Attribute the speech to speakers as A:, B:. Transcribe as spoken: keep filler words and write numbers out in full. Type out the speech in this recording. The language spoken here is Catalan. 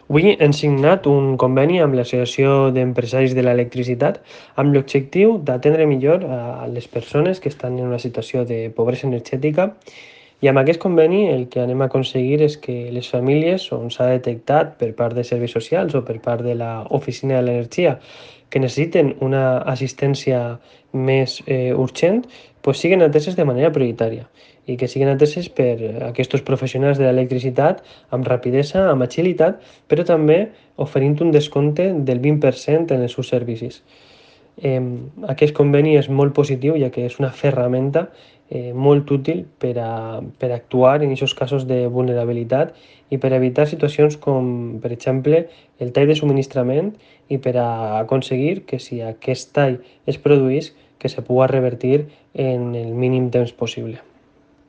A: Avui hem signat un conveni amb l'Associació d'Empresaris de l'Electricitat amb l'objectiu d'atendre millor a les persones que estan en una situació de pobresa energètica i amb aquest conveni el que anem a aconseguir és que les famílies on s'ha detectat per part de serveis socials o per part de l'Oficina de l'Energia que necessiten una assistència més eh, urgent, pues siguen ateses de manera prioritària i que siguen ateses per aquests professionals de l'electricitat amb rapidesa, amb agilitat, però també oferint un descompte del vint per cent en els seus servicis. Eh, Aquest conveni és molt positiu, ja que és una ferramenta eh, molt útil per a, per a actuar en aquests casos de vulnerabilitat i per evitar situacions com, per exemple, el tall de subministrament i per a aconseguir que si aquest tall es produís, que se pugui revertir en el mínim temps possible.